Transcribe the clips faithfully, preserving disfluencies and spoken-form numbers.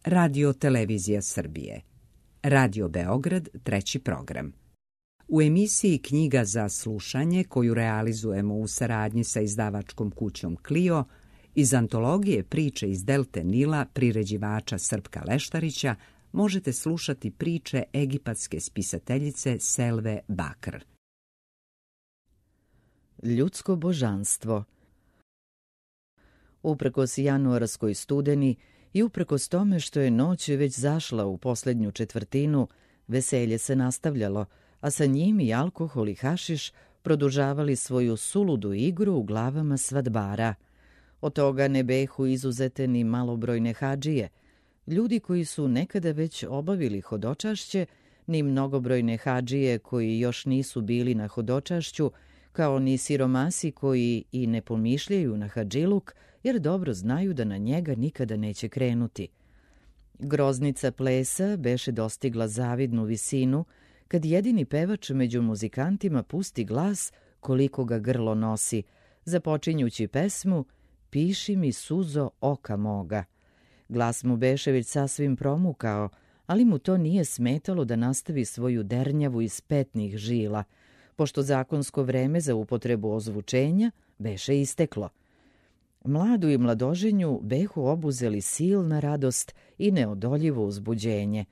Radio Televizija Srbije. Radio Beograd, treći program. U emisiji Knjiga za slušanje, koju realizujemo u saradnji sa izdavačkom kućom Clio, iz antologije Priče iz Delte Nila priređivača Srpka Leštarića možete slušati priče egipatske spisateljice Selve Bakr. Ljudsko božanstvo. Uprkos januarskoj studeni i uprkos tome što je noć već zašla u posljednju četvrtinu, veselje se nastavljalo, a sa njim i alkohol i hašiš produžavali svoju suludu igru u glavama svadbara. Od toga ne behu izuzete ni malobrojne hadžije, ljudi koji su nekada već obavili hodočašće, ni mnogobrojne hadžije koji još nisu bili na hodočašću, kao ni siromasi koji i ne pomišljaju na hadžiluk, jer dobro znaju da na njega nikada neće krenuti. Groznica plesa beše dostigla zavidnu visinu, kad jedini pevač među muzikantima pusti glas koliko ga grlo nosi, započinjući pesmu Piši mi suzo oka moga. Glas mu beše već sasvim promukao, ali mu to nije smetalo da nastavi svoju dernjavu iz petnih žila, pošto zakonsko vreme za upotrebu ozvučenja beše isteklo. Mladu i mladoženju behu obuzeli silna radost i neodoljivo uzbuđenje.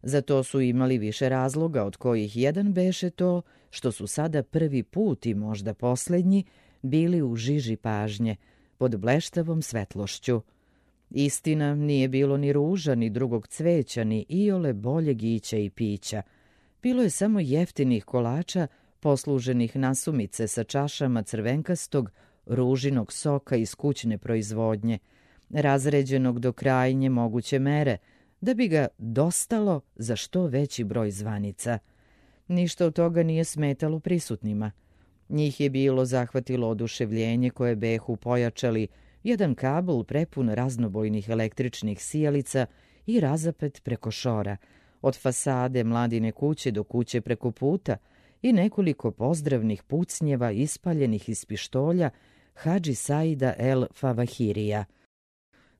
Za to su imali više razloga, od kojih jedan beše to što su sada prvi put i možda posljednji bili u žiži pažnje, pod bleštavom svetlošću. Istina, nije bilo ni ruža, ni drugog cveća, ni iole boljeg ića i pića. Bilo je samo jeftinih kolača, posluženih nasumice sa čašama crvenkastog, ružinog soka iz kućne proizvodnje, razređenog do krajnje moguće mere, da bi ga dostalo za što veći broj zvanica. Ništa od toga nije smetalo prisutnima. Njih je bilo zahvatilo oduševljenje koje behu pojačali jedan kabel prepun raznobojnih električnih sijalica i razapet preko šora, od fasade Mladine kuće do kuće preko puta, i nekoliko pozdravnih pucnjeva ispaljenih iz pištolja Hadži Saida el Favahirija.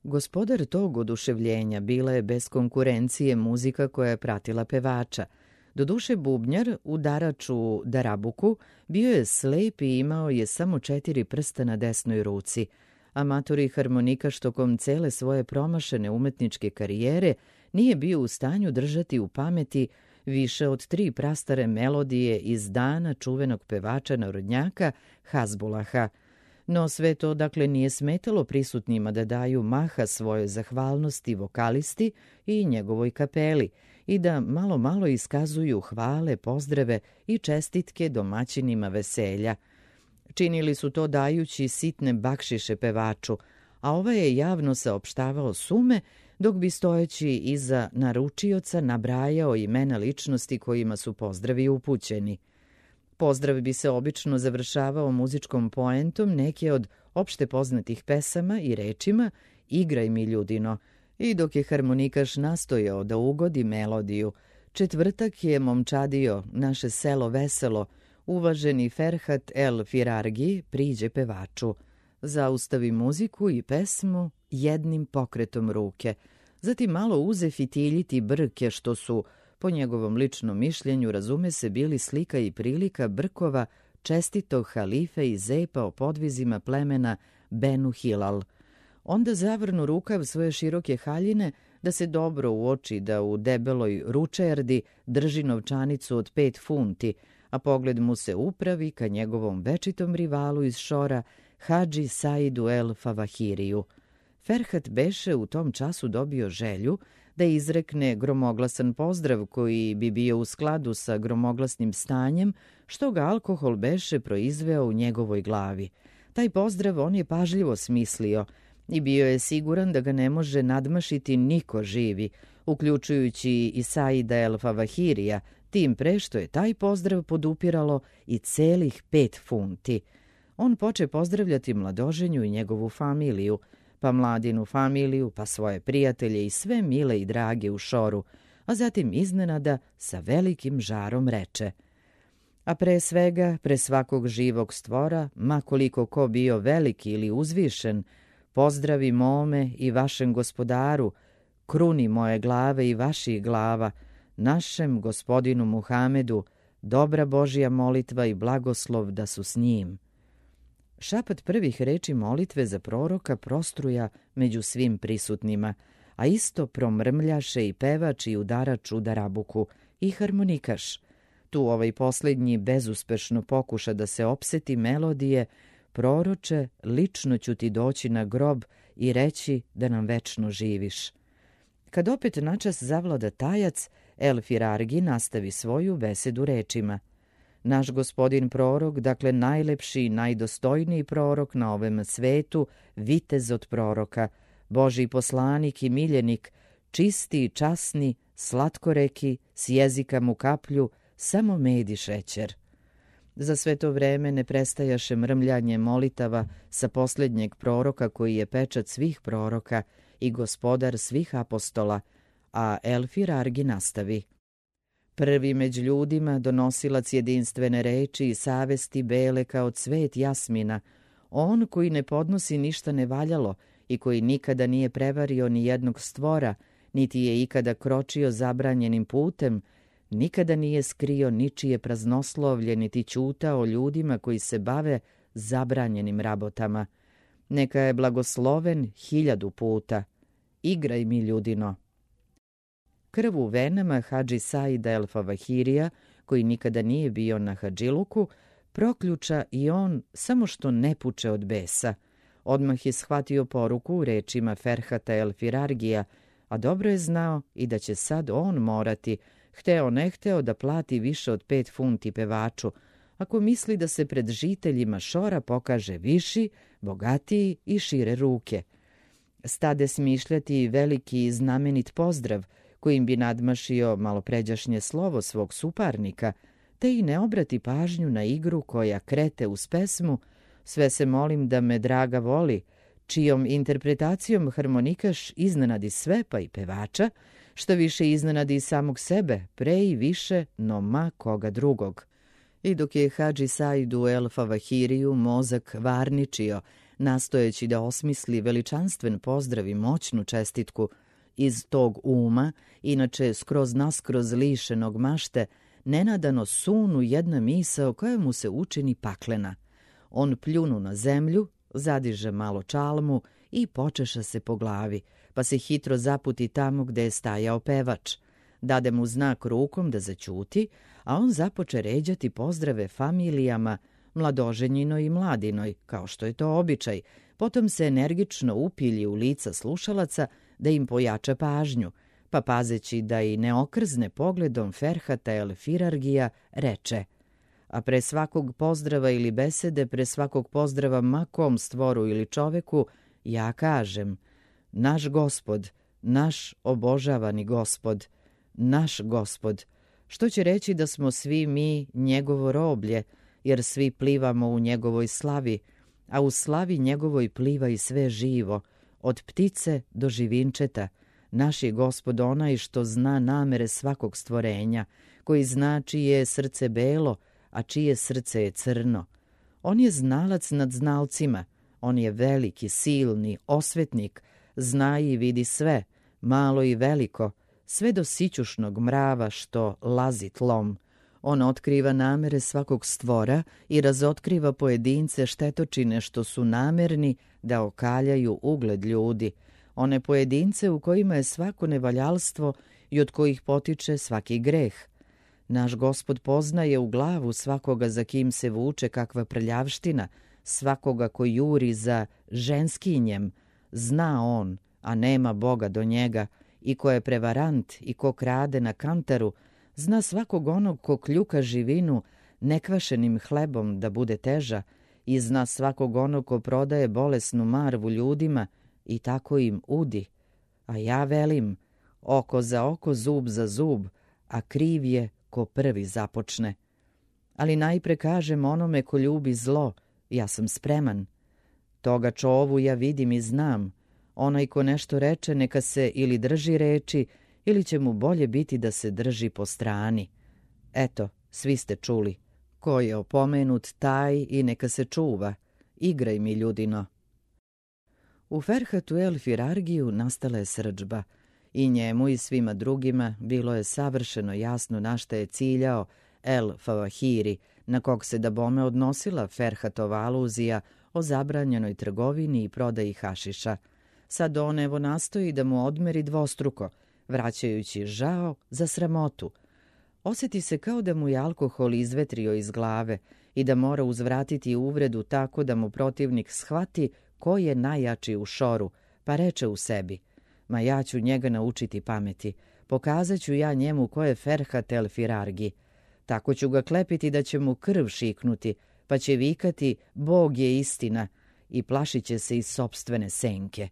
Gospodar tog oduševljenja bila je bez konkurencije muzika koja je pratila pevača. Doduše bubnjar, udarač u darabuku, bio je slep i imao je samo četiri prsta na desnoj ruci. Amator i harmonikaš tokom cele svoje promašene umetničke karijere nije bio u stanju držati u pameti više od tri prastare melodije iz dana čuvenog pevača narodnjaka Hazbulaha. No sve to dakle nije smetalo prisutnima da daju maha svojoj zahvalnosti vokalisti i njegovoj kapeli i da malo malo iskazuju hvale, pozdrave i čestitke domaćinima veselja. Činili su to dajući sitne bakšiše pevaču, a ovaj je javno saopštavao sume, dok bi stojeći iza naručioca nabrajao imena ličnosti kojima su pozdravi upućeni. Pozdrav bi se obično završavao muzičkom poentom neke od opšte poznatih pesama i rečima Igraj mi ljudino, i dok je harmonikaš nastojao da ugodi melodiju Četvrtak je momčadio, naše selo veselo, uvaženi Ferhat el Firargi priđe pevaču. Zaustavi muziku i pesmu jednim pokretom ruke, zatim malo uze fitiljiti brke što su, po njegovom ličnom mišljenju, razume se, bili slika i prilika brkova čestitog halife i zepa o podvizima plemena Benu Hilal. Onda zavrnu rukav svoje široke haljine da se dobro uoči da u debeloj ručerdi drži novčanicu od pet funti, a pogled mu se upravi ka njegovom večitom rivalu iz šora, Hadži Saidu el Favahiriju. Ferhat beše u tom času dobio želju da izrekne gromoglasan pozdrav koji bi bio u skladu sa gromoglasnim stanjem što ga alkohol beše proizveo u njegovoj glavi. Taj pozdrav on je pažljivo smislio i bio je siguran da ga ne može nadmašiti niko živi, uključujući i Saida el Favahirija, tim pre što je taj pozdrav podupiralo i celih pet funti. On poče pozdravljati mladoženju i njegovu familiju, pa mladinu familiju, pa svoje prijatelje i sve mile i drage u šoru, a zatim iznenada sa velikim žarom reče: a pre svega, pre svakog živog stvora, ma koliko ko bio veliki ili uzvišen, pozdravi mome i vašem gospodaru, kruni moje glave i vaših glava, našem gospodinu Muhamedu, dobra Božja molitva i blagoslov da su s njim. Šapat prvih reči molitve za proroka prostruja među svim prisutnima, a isto promrmljaše i pevač i udarač u darabuku i harmonikaš. Tu ovaj posljednji bezuspešno pokuša da se opseti melodije: proroče, lično ću ti doći na grob i reći da nam večno živiš. Kad opet načas zavlada tajac, El Firargi nastavi svoju besedu rečima: naš gospodin prorok, dakle najlepši i najdostojniji prorok na ovom svetu, vitez od proroka, Božji poslanik i miljenik, čisti i časni, slatkoreki, s jezika mu kaplju, samo med i šećer. Za sve to vreme ne prestajaše mrmljanje molitava sa posljednjeg proroka koji je pečat svih proroka i gospodar svih apostola, a El Firargi nastavi: prvi među ljudima, donosilac jedinstvene reči i savesti bele kao cvet jasmina, on koji ne podnosi ništa nevaljalo i koji nikada nije prevario ni jednog stvora, niti je ikada kročio zabranjenim putem, nikada nije skrio ničije praznoslovlje, niti ćutao ljudima koji se bave zabranjenim rabotama. Neka je blagosloven hiljadu puta. Igraj mi, ljudino. Krv u venama Hadži Saida El Favahirija, koji nikada nije bio na hadžiluku, proključa i on, samo što ne puče od besa. Odmah je shvatio poruku u rečima Ferhata El Firargija, a dobro je znao i da će sad on morati, hteo ne hteo, da plati više od pet funti pevaču, ako misli da se pred žiteljima Šora pokaže viši, bogatiji i šire ruke. Stade smišljati veliki i znamenit pozdrav, kojim bi nadmašio malopređašnje slovo svog suparnika, te i ne obrati pažnju na igru koja krete uz pesmu Sve se molim da me draga voli, čijom interpretacijom harmonikaš iznenadi sve pa i pevača, što više iznenadi i samog sebe, pre i više no ma koga drugog. I dok je Hadži Saidu El Favahiriju mozak varničio, nastojeći da osmisli veličanstven pozdrav i moćnu čestitku, iz tog uma, inače skroz naskroz lišenog mašte, nenadano sunu jedna misao koja mu se učini paklena. On pljunu na zemlju, zadiže malo čalmu i počeša se po glavi, pa se hitro zaputi tamo gde je stajao pevač. Dade mu znak rukom da zaćuti, a on započe ređati pozdrave familijama, mladoženjinoj i mladinoj, kao što je to običaj, potom se energično upilji u lica slušalaca da im pojača pažnju, pa pazeći da i ne okrzne pogledom Ferhata El Firargija, reče: a pre svakog pozdrava ili besede, pre svakog pozdrava makom stvoru ili čoveku, ja kažem: naš gospod, naš obožavani gospod, naš gospod, što će reći da smo svi mi njegovo roblje, jer svi plivamo u njegovoj slavi, a u slavi njegovoj pliva i sve živo, od ptice do živinčeta. Naš je gospod onaj što zna namere svakog stvorenja, koji zna čije je srce belo, a čije srce je crno. On je znalac nad znalcima, on je veliki, silni, osvetnik, zna i vidi sve, malo i veliko, sve do sićušnog mrava što lazi tlom. On otkriva namere svakog stvora i razotkriva pojedince štetočine što su namerni da okaljaju ugled ljudi, one pojedince u kojima je svako nevaljalstvo i od kojih potiče svaki greh. Naš gospod poznaje u glavu svakoga za kim se vuče kakva prljavština, svakoga ko juri za ženskinjem, zna on, a nema Boga do njega, i ko je prevarant i ko krade na kantaru, zna svakog onog ko kljuka živinu nekvašenim hlebom da bude teža, i zna svakog onog ko prodaje bolesnu marvu ljudima i tako im udi. A ja velim, oko za oko, zub za zub, a kriv je ko prvi započne. Ali najpre kažem onome ko ljubi zlo, ja sam spreman. Toga čovu ja vidim i znam. Onaj ko nešto reče, neka se ili drži reči, ili će mu bolje biti da se drži po strani. Eto, svi ste čuli. Ko je opomenut, taj i neka se čuva. Igraj mi, ljudino. U Ferhatu El Firargiju nastala je srdžba I njemu i svima drugima bilo je savršeno jasno na šta je ciljao El Favahiri, na kog se dabome odnosila Ferhatova aluzija o zabranjenoj trgovini i prodaji hašiša. Sad on evo nastoji da mu odmeri dvostruko, vraćajući žao za sramotu. Osjeti se kao da mu je alkohol izvetrio iz glave i da mora uzvratiti uvredu tako da mu protivnik shvati ko je najjači u šoru, pa reče u sebi: ma ja ću njega naučiti pameti, pokazat ću ja njemu ko je Ferhat el Firargi. Tako ću ga klepiti da će mu krv šiknuti, pa će vikati Bog je istina i plašit će se iz sopstvene senke.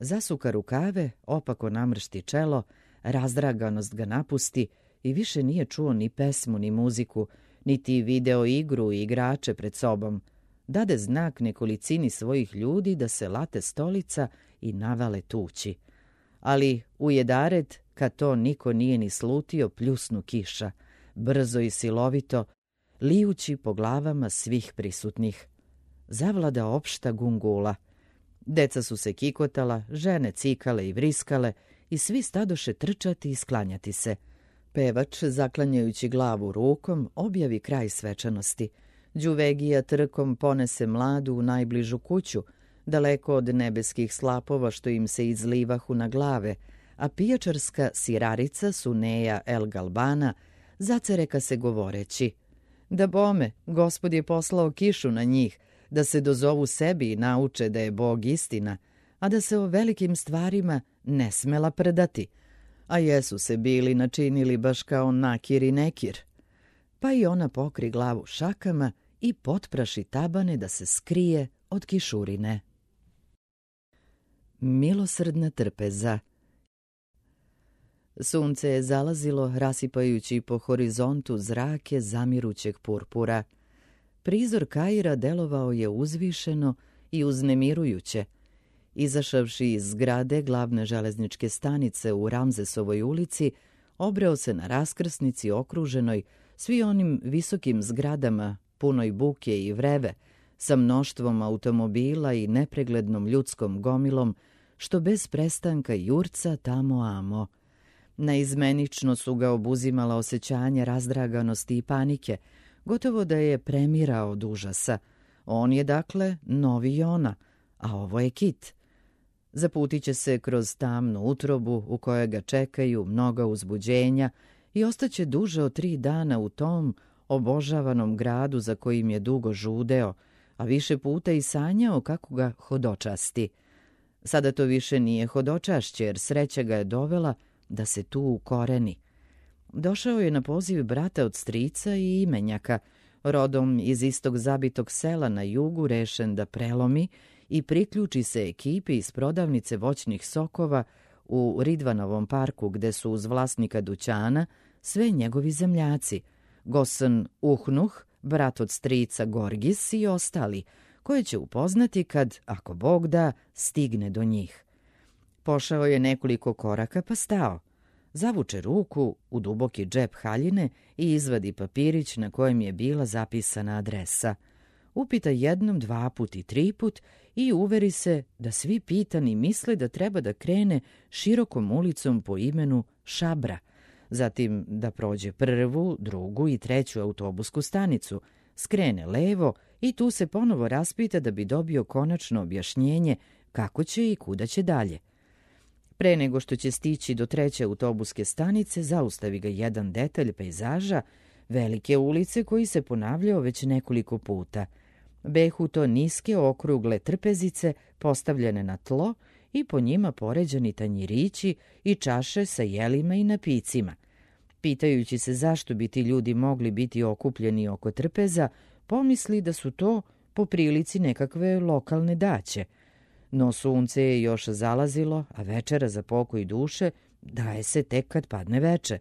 Zasuka rukave, opako namršti čelo, razdraganost ga napusti i više nije čuo ni pesmu ni muziku, niti video igru i igrače pred sobom. Dade znak nekolicini svojih ljudi da se late stolica i navale tući. Ali u jedared, kad to niko nije ni slutio, pljusnu kiša, brzo i silovito, lijući po glavama svih prisutnih. Zavlada opšta gungula. Deca su se kikotala, žene cikale i vriskale i svi stadoše trčati i sklanjati se. Pevač, zaklanjajući glavu rukom, objavi kraj svečanosti. Đuvegija trkom ponese mladu u najbližu kuću, daleko od nebeskih slapova što im se izlivahu na glave, a pijačarska sirarica Suneja el Galbana zacereka se govoreći: da bome, Gospod je poslao kišu na njih, da se dozovu sebi i nauče da je Bog istina, a da se o velikim stvarima ne smela prdati. A jesu se bili načinili baš kao Nakir i Nekir. Pa i ona pokri glavu šakama i potpraši tabane da se skrije od kišurine. Milosrdna trpeza. Sunce je zalazilo, rasipajući po horizontu zrake zamirućeg purpura. Prizor Kaira delovao je uzvišeno i uznemirujuće. Izašavši iz zgrade glavne železničke stanice u Ramzesovoj ulici, obreo se na raskrsnici okruženoj svi onim visokim zgradama, punoj buke i vreve, sa mnoštvom automobila i nepreglednom ljudskom gomilom, što bez prestanka jurca tamo amo. Naizmenično su ga obuzimala osjećanja razdraganosti i panike, gotovo da je premirao od užasa. On je dakle novi Jona, a ovo je Kit. Zaputit će se kroz tamnu utrobu u kojoj ga čekaju mnoga uzbuđenja i ostaće duže od tri dana u tom obožavanom gradu za kojim je dugo žudeo, a više puta i sanjao kako ga hodočasti. Sada to više nije hodočašće, jer sreća ga je dovela da se tu ukoreni. Došao je na poziv brata od strica i imenjaka, rodom iz istog zabitog sela na jugu, rešen da prelomi i priključi se ekipi iz prodavnice voćnih sokova u Ridvanovom parku, gde su uz vlasnika dućana sve njegovi zemljaci, Gosan Uhnuh, brat od strica Gorgis i ostali, koje će upoznati kad, ako Bog da, stigne do njih. Pošao je nekoliko koraka pa stao. Zavuče ruku u duboki džep haljine i izvadi papirić na kojem je bila zapisana adresa. Upita jednom, dva put i tri put i uveri se da svi pitani misle da treba da krene širokom ulicom po imenu Šabra, zatim da prođe prvu, drugu i treću autobusku stanicu, skrene levo i tu se ponovo raspita da bi dobio konačno objašnjenje kako će i kuda će dalje. Pre nego što će stići do treće autobuske stanice, zaustavi ga jedan detalj pejzaža, velike ulice koji se ponavljao već nekoliko puta. Behu to niske okrugle trpezice postavljene na tlo i po njima poređani tanjirići i čaše sa jelima i napicima. Pitajući se zašto bi ti ljudi mogli biti okupljeni oko trpeza, pomisli da su to po prilici nekakve lokalne daće. No sunce je još zalazilo, a večera za pokoj duše daje se tek kad padne veče.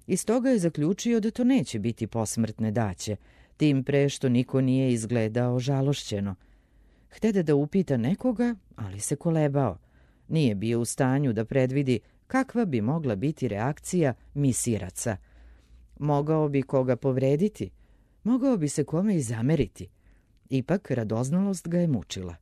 Iz toga je zaključio da to neće biti posmrtne daće, tim pre što niko nije izgledao žalošćeno. Htede da upita nekoga, ali se kolebao. Nije bio u stanju da predvidi kakva bi mogla biti reakcija misiraca. Mogao bi koga povrediti, mogao bi se kome i zameriti. Ipak radoznalost ga je mučila.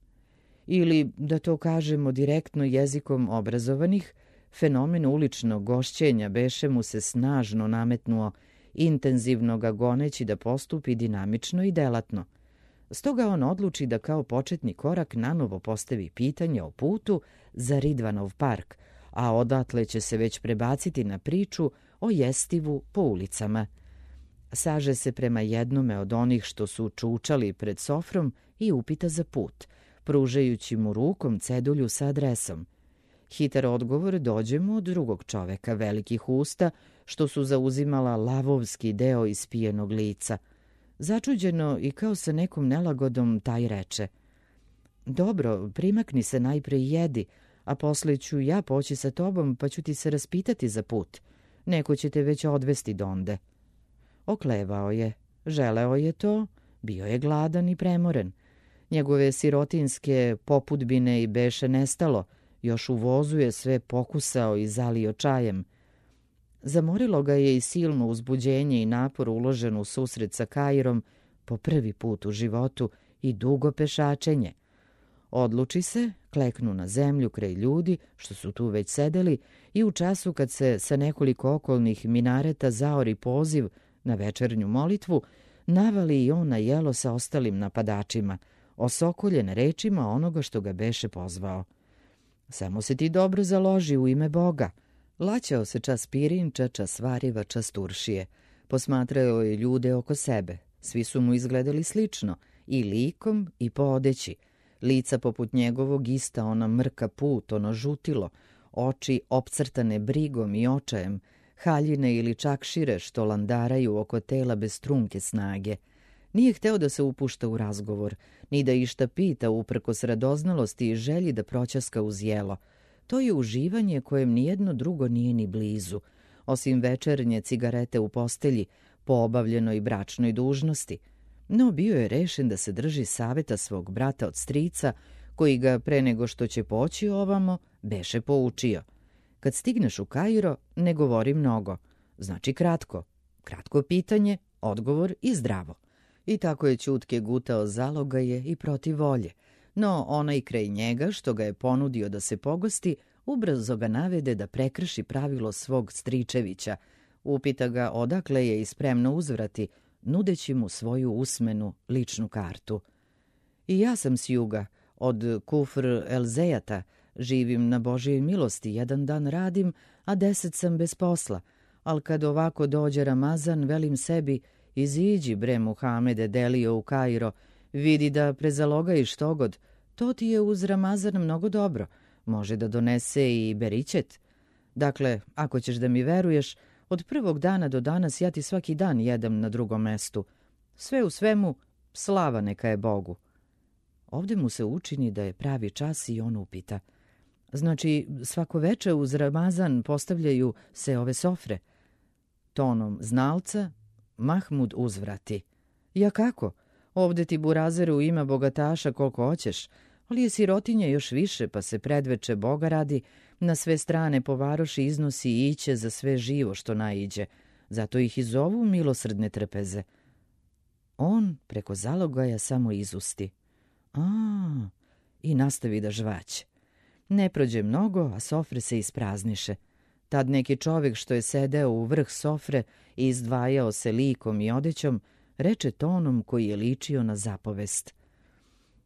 Ili, da to kažemo direktno jezikom obrazovanih, Fenomen uličnog gošćenja beše mu se snažno nametnuo, intenzivno ga goneći da postupi dinamično i delatno. Stoga on odluči da kao početni korak nanovo postavi pitanje o putu za Ridvanov park, a odatle će se već prebaciti na priču o jestivu po ulicama. Saže se prema jednome od onih što su čučali pred sofrom i upita za put, pružajući mu rukom cedulju sa adresom. Hitar odgovor dođe mu od drugog čoveka velikih usta, što su zauzimala lavovski deo ispijenog lica. Začuđeno i kao sa nekom nelagodom taj reče: dobro, primakni se najpre i jedi, a posle ću ja poći sa tobom pa ću ti se raspitati za put. Neko će te već odvesti donde. Oklevao je, želeo je to, bio je gladan i premoren. Njegove sirotinske popudbine i beše nestalo, još u vozu je sve pokusao i zalio čajem. Zamorilo ga je i silno uzbuđenje i napor uložen u susret sa Kairom po prvi put u životu i dugo pešačenje. Odluči se, kleknu na zemlju kraj ljudi što su tu već sedeli i u času kad se sa nekoliko okolnih minareta zaori poziv na večernju molitvu, navali i on na jelo sa ostalim napadačima, osokoljen rečima onoga što ga beše pozvao. Samo se ti dobro založi u ime Boga. Laćao se čas pirinča, čas variva, čas turšije. Posmatrao je ljude oko sebe. Svi su mu izgledali slično, i likom i po odeći. Lica poput njegovog ista ona mrka put, ono žutilo, oči opcrtane brigom i očajem, haljine ili čak šire što landaraju oko tela bez trunke snage. Nije hteo da se upušta u razgovor, ni da išta pita uprkos radoznalosti i želji da proćaska uz jelo. To je uživanje kojem nijedno drugo nije ni blizu, osim večernje cigarete u postelji, po obavljenoj bračnoj dužnosti. No bio je rešen da se drži saveta svog brata od strica, koji ga pre nego što će poći ovamo, beše poučio. Kad stigneš u Kairo, ne govori mnogo. Znači kratko. Kratko pitanje, odgovor i zdravo. I tako je ćutke gutao zalogaje i protiv volje. No onaj kraj njega što ga je ponudio da se pogosti, ubrzo ga navede da prekrši pravilo svog stričevića. Upita ga odakle je i spremno uzvrati, nudeći mu svoju usmenu ličnu kartu. I ja sam s juga, od Kufr el-Zejata, živim na Božjoj milosti, jedan dan radim, a deset sam bez posla. Al kad ovako dođe Ramazan, velim sebi, iziđi bre Muhamede delio u Kairo, vidi da prezalogajiš togod, to ti je uz Ramazan mnogo dobro, može da donese i beričet. Dakle, ako ćeš da mi veruješ, od prvog dana do danas ja ti svaki dan jedem na drugom mestu. Sve u svemu, slava neka je Bogu. Ovde mu se učini da je pravi čas i on upita. Znači, svako veče uz Ramazan postavljaju se ove sofre. Tonom znalca Mahmud uzvrati. Ja kako? Ovde ti burazeru ima bogataša koliko hoćeš, ali je sirotinje još više, pa se predveče Boga radi, na sve strane po varoši iznosi i iće za sve živo što naiđe. Zato ih i zovu milosrdne trpeze. On preko zalogaja samo izusti. A, i nastavi da žvaće. Ne prođe mnogo, a sofre se isprazniše. Tad neki čovjek što je sedeo u vrh sofre i izdvajao se likom i odećom, reče tonom koji je ličio na zapovest.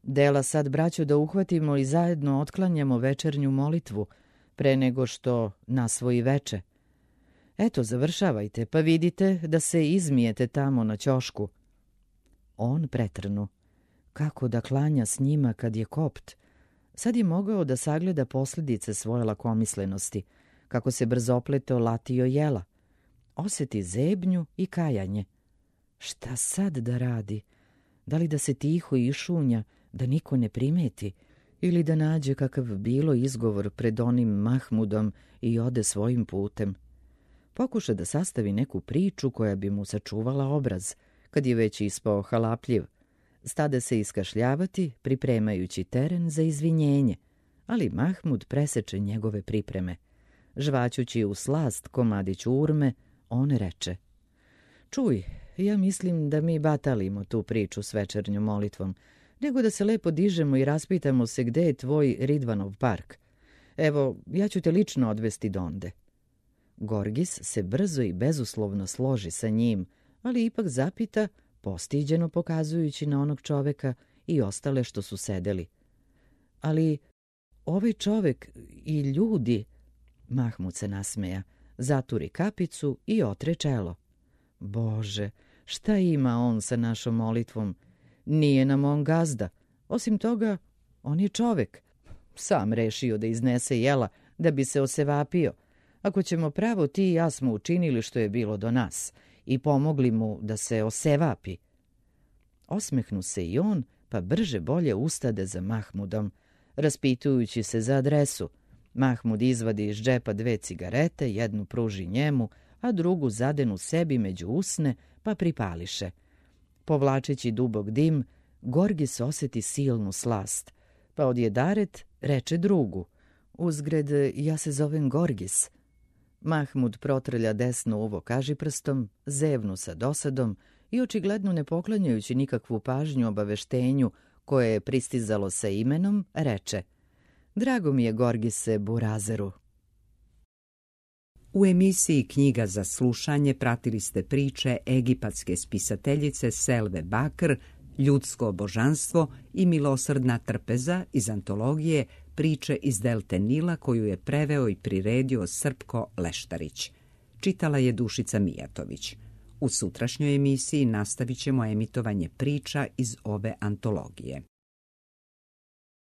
Dela sad, braćo, da uhvatimo i zajedno otklanjamo večernju molitvu, pre nego što nasvoji veče. Eto, završavajte, pa vidite da se izmijete tamo na ćošku. On pretrnu. Kako da klanja s njima kad je kopt? Sad je mogao da sagleda posljedice svoje lakomislenosti, kako se brzopleto latio jela. Osjeti zebnju i kajanje. Šta sad da radi? Da li da se tiho išunja, da niko ne primeti, ili da nađe kakav bilo izgovor pred onim Mahmudom i ode svojim putem? Pokuša da sastavi neku priču koja bi mu sačuvala obraz, kad je već ispao halapljiv. Stade se iskašljavati, pripremajući teren za izvinjenje, ali Mahmud preseče njegove pripreme. Žvaćući u slast komadić urme, on reče: Čuj, ja mislim da mi batalimo tu priču s večernjom molitvom, nego da se lepo dižemo i raspitamo se gde je tvoj Ridvanov park. Evo, ja ću te lično odvesti donde. Gorgis se brzo i bezuslovno složi sa njim, ali ipak zapita, postiđeno pokazujući na onog čoveka i ostale što su sedeli. Ali ovaj čovek i ljudi... Mahmud se nasmeja, zaturi kapicu i otre čelo. Bože, šta ima on sa našom molitvom? Nije nam on gazda. Osim toga, on je čovek. Sam rešio da iznese jela da bi se osevapio. Ako ćemo pravo, ti i ja smo učinili što je bilo do nas i pomogli mu da se osevapi. Osmehnu se i on, pa brže bolje ustade za Mahmudom, raspitujući se za adresu. Mahmud izvadi iz džepa dve cigarete, jednu pruži njemu, a drugu zadenu sebi među usne, pa pripališe. Povlačeći dubok dim, Gorgis osjeti silnu slast, pa odjedaret reče drugu. Uzgred, ja se zovem Gorgis. Mahmud protrlja desno uvo kažiprstom, zevnu sa dosadom i očigledno ne poklanjajući nikakvu pažnju obaveštenju koje je pristizalo sa imenom, reče: Drago mi je, Gorgise Burazeru. U emisiji Knjiga za slušanje pratili ste priče egipatske spisateljice Selve Bakr, Ljudsko božanstvo i Milosrdna trpeza iz antologije Priče iz Delte Nila, koju je preveo i priredio Srpko Leštarić. Čitala je Dušica Mijatović. U sutrašnjoj emisiji nastavit ćemo emitovanje priča iz ove antologije.